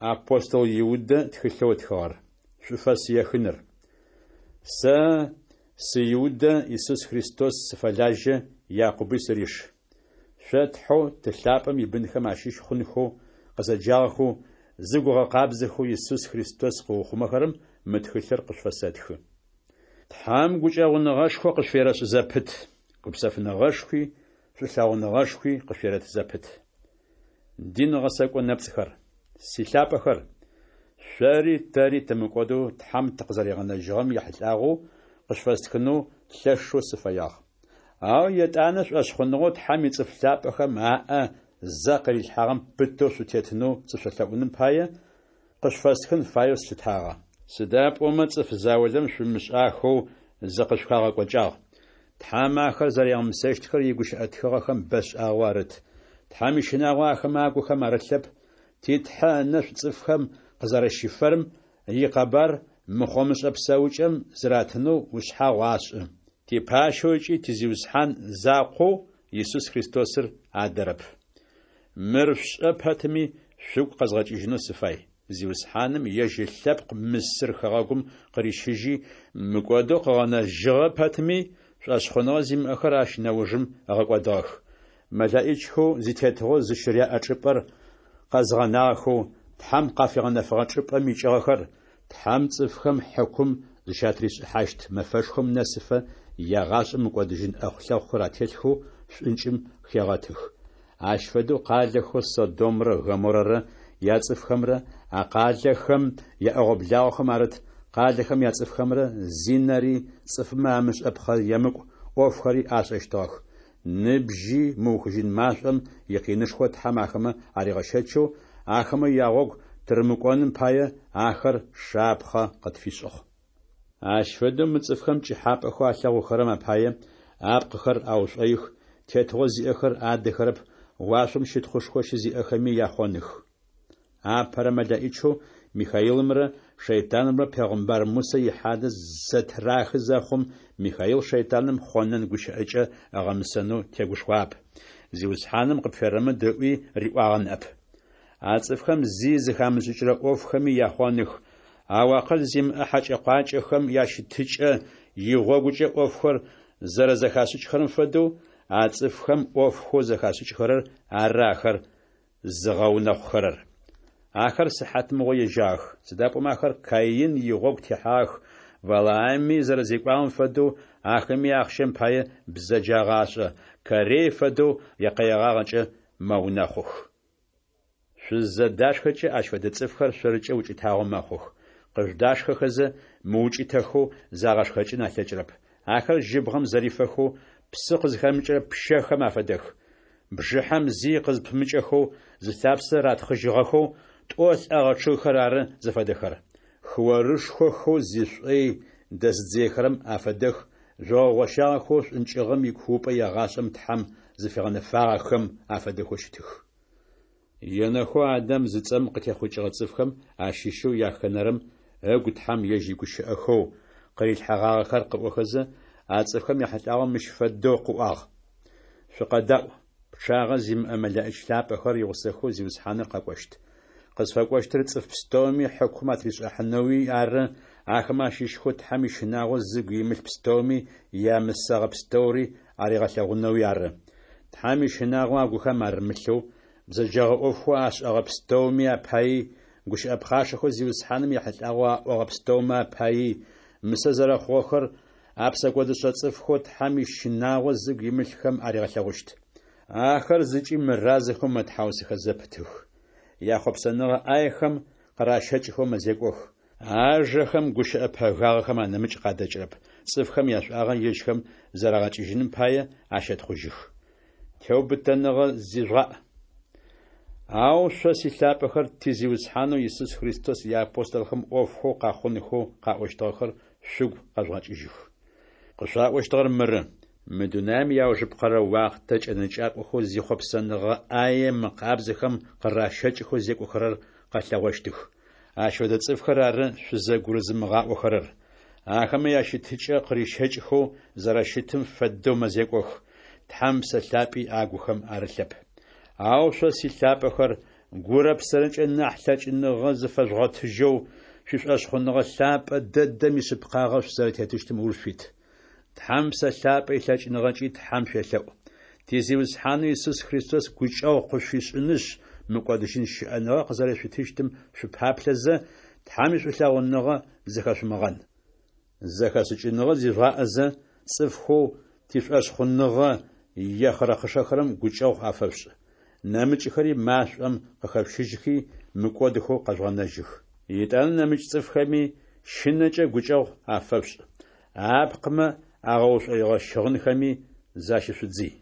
Апостол Иудэ тхылъэу ытхыгъэр. Шӏуфэс ехыныр. Сэ сы Иудэ, Исус Христос сыфэлажьэ, Якъуби сыриш. Шъо Тхьэу Ты лъапӏэм ибынхэм ащыщ хъунхэу къызэджагъэхэу, зыгу ыгъэкъабзэхэу Исус Христос къыухъумэхэрэм мы тхылъыр къышъуфэсэтхы. Тхьэм гукӏэгъуныгъэшхо къышъуферэшӏ зэпыт, гупсэфыныгъэшхуи шӏулъэгъуныгъэшхуи къышъуерэт зэпыт. Дин гъэсэкӏо нэпцӏхэр. Силъапӏэхэр! Шъори тэри тымыкӏодэу Тхьэм тыкъызэригъэнэжьыгъэм ехьылӏагъэу къышъуфэстхынэу лъэшэу сыфэягъ. Ау етӏанэ шӏошъхъуныгъэу Тхьэм ицӏыф лъапӏэхэм аӏэ зэ къырилъхьагъэм пытэу шъутетынэу сышъолъэӏуным пае къышъуфэстхын фаеу слъытагъэ. Сыда пӏомэ цӏыф заулэм шъумышӏахэу зыкъышъухагъэкӏокӏагъ. Тхьэм ахэр зэригъэмысэщтхэр игущыӏэ тхыгъэхэм бэшӏагъэу арыт. Тхьэм ищынагъо ахэмэ агухэм арылъэп, ти Тхьэ ынэшӏу цӏыфхэм къызэрэщифэрэм икъэбар мыхъомышӏэ псэукӏэм зыратынэу ушъхьагъу ашӏы. Типащэу ыкӏи ти Зиусхьан закъоу Исус Христосыр адэрэп. Мыр шъушӏэ пэтми, шъугу къэзгъэкӏыжьынэу сыфай. Зиусхьаным ежь ылъэпкъ Мысыр хэгъэгум къырищыжьи, мыкӏодэу къыгъэнэжьыгъэ пэтми, шӏошъхъуныгъэ зимыӏэхэр ащ нэужым ыгъэкӏодыгъэх. Мэлэӏичхэу зитетыгъо зыщыряӏэ чӏыпӏэр къэзыгъэнагъэхэу, Тхьэм къафигъэнэфэгъэ чӏыпӏэм икӏыгъэхэр, Тхьэм цӏыфхэм хьыкум зыщатришӏыхьащт мэфэшхом нэсыфэ ягъашӏэм мыкӏодыжьын ӏэхъу-лъэхъухэр ателъхэу шӏункӏым хегъэтых. Ащ фэдэу къалэхэу Содомрэ Гоморрэрэ яцӏыфхэмрэ а къалэхэм яӏэгъо-благъохэм арыт къалэхэм яцӏыфхэмрэ зинэри цӏыфмэ амышӏэпхъэ емыкӏу ӏофхэри ашӏэщтыгъэх. Ныбжьи мыухыжьын машӏом икъинышхо Тхьэм ахэмэ аригъэщэчэу, ахэмэ ягъогу тырымыкӏоным пае, ахэр шапхъэ къытфишӏыгъ. Ащ фэдэу мы цӏыфхэм пкӏыхьапӏэхэу алъэгъухэрэм апае апкъыхэр аушӏоих, тетыгъо зиӏэхэр адэхэрэп, уашъом щытхъушхо щызиӏэхэми яхъоных. Апэрэ мэлэӏичэу Михаилымрэ шэйтанымрэ пегъымбар Мусэ ихьадэ зэтырахы зэхъум, Михаил шэйтаным хъонэн гущыӏэкӏэ ыгъэмысэнэу тегушхуагъэп, Зиусхьаным къыпферэмыд ыӏуи риӏуагъэ ныӏэп. А цӏыфхэм зи зыхамышӏыкӏырэ ӏофхэми яхъоных, ау акъыл зимыӏэ хьакӏэ-къуакӏэхэм ящытыкӏэ игъогукӏэ ӏофхэр зэрэзэхашӏыкӏхэрэм фэдэу, а цӏыфхэм ӏофхэу зэхашӏыкӏхэрэр ары ахэр зыгъэунэхъухэрэр. Ахэр сыхьатмыгъо ежьагъэх, сыда пӏомэ ахэр Каин игъогу техьагъэх, Валаами зэрэзекӏуагъэм фэдэу ахэми ахъщэм пае бзэджагъэ ашӏэ, Корей фэдэу якъэегъагъэкӏэ мэунэхъух. Шъузызэдашхэкӏэ, ащ фэдэ цӏыфхэр шъоркӏэ укӏытагъо мэхъух. Къыжъудашхэхэзэ, мыукӏытэхэу загъэшхэкӏын алъэкӏырэп. Ахэр жьыбгъэм зэрифэхэу, псы къызхэмыкӏырэ пщэхэм афэдэх. Бжыхьэм зи къызпымыкӏэхэу, зылъапсэ ратхъыжьыгъэхэу, тӏо лӏэгъэ чъыгхэр ары зыфэдэхэр. Хыорышхохэу зишӏой дэзыдзыехэрэм афэдэх жъогъо гъощагъэхэу шӏункӏыгъэм икуупӏэ егъашӏэм Тхьэм зыфигъэнэфагъэхэм афэдэхэу щытых. Енэхэу Адам зыцӏэм къытехъукӏыгъэ цӏыфхэм ащыщэу яхэнэрэм ыгу Тхьэм ежь игущыӏэхэу къырилъхьэгъагъэхэр къыӏохэзэ, а цӏыфхэм яхьылӏагъэу мыщ фэдэу къыӏуагъ: Шъукъэдаӏу, пчъагъэ зимыӏэ мэлэӏич лъапӏэхэр игъусэхэу Зиусхьаныр къэкӏощт. Къызфэкӏощтыр цӏыф пстэуми хьыкум атришӏыхьанэуи ары, ахэмэ ащыщхэу Тхьэм ищынагъо зыгу имылъ пстэуми ямысэгъэ пстэури аригъэлъэгъунэуи ары. Тхьэм ищынагъо агухэм арымылъэу, бзэджэгъэ ӏофхэу ашӏэгъэ пстэуми апаий, гущыӏэ пхъашэхэу Зиусхьаным ехьылӏагъэу аӏогъэ пстэумэ апаий, мысэ зэрэхъугъэхэр а псэкӏодышӏэ цӏыфхэу Тхьэм ищынагъо зыгу имылъхэм аригъэлъэгъущт. Ахэр зыкӏи мыразэхэу мэтхьаусыхэ зэпытых. Яхъопсэныгъэ ӏаехэм къыращэкӏхэу мэзекӏох. Ажэхэм гущыӏэ пэгагъэхэм анэмыкӏ къадэкӏырэп, цӏыфхэм яшӏуагъэ ежьхэм зэрагъэкӏыжьыным пае ащэтхъужьых. Теубытэныгъэ зижъугъаӏ. Ау шъо, силъапӏэхэр, ти Зиусхьанэу Исус Христос иапостолхэм ӏофхэу къэхъунхэу къаӏощтыгъэхэр шъугу къэжъугъэкӏыжьых. Къышъуаӏощтыгъэр мыры: Мы дунаим иаужыпкъэрэ уахътэ кӏэнэкӏакӏохэу зихъопсэныгъэ ӏае мыкъабзэхэм къыращэкӏхэу зекӏохэрэр къэлъэгъощтых. Ащ фэдэ цӏыфхэр ары шъузэгурызымыгъаӏохэрэр. Ахэмэ ящытыкӏэ къырищэкӏхэу зэрэщытым фэдэу мэзекӏох, Тхьэм Ыпсэ Лъапӏи агухэм арылъэп. Ау шъо, силъапӏэхэр, Гурэ псэрэкӏэ нахь лъэкӏыныгъэ зыфэжъугъотыжьэу, шъуишӏошъхъуныгъэ лъапӏэ дэдэм ишъыпкъагъэ шъузэрэтетыщтым ыуж шъуит. Тхьэм Псэ Лъапӏэ илъэкӏыныгъэкӏи Тхьэм шъуелъэӏу. Ти Зиусхьанэу Исус Христос гукӏэгъу къышъуфишӏынышъ, мыкӏодыжьын щыӏэныгъэ къызэрэшъуитыщтым шъупаплъэзэ, Тхьэм ишӏулъэгъуныгъэ зыхэшъумыгъэн. Зэхэшӏыкӏыныгъэ зижъугъаӏэзэ, цӏыфхэу тишӏошъхъуныгъэ ехъырэхъышэхэрэм гукӏэгъу афэшъушӏ. Нэмыкӏхэри машӏом къыхэшъущыжьхи, мыкӏодхэу къэжъугъэнэжьых. Етӏанэ нэмыкӏ цӏыфхэми щынэкӏэ гукӏэгъу афэшъушӏ. Апкъымэ агъэушӏоигъэ щыгъынхэми защышъудзый.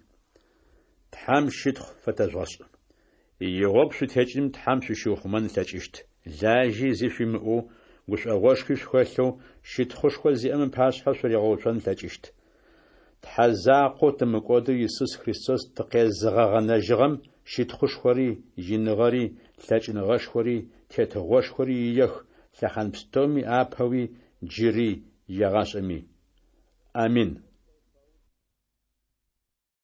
Тхьэм щытхъу фэтэжъугъэшӏ. Игъогу шъутекӏыным Тхьэм шъущиухъумэн ылъэкӏыщт. Лажьи зи шъуимыӏэу, гушӏогъошхуи шъухэлъэу, щытхъушхо зиӏэм ыпашъхьэ шъуригъэуцон ылъэкӏыщт. Тхьэ закъоу тымыкӏодэу Исус Христос тыкъезыгъэгъэнэжьыгъэм щытхъушхори, иныгъэри, лъэкӏыныгъэшхори, тетыгъошхори иех лъэхъан пстэуми апэуи, джыри, егъашӏэми. Амин.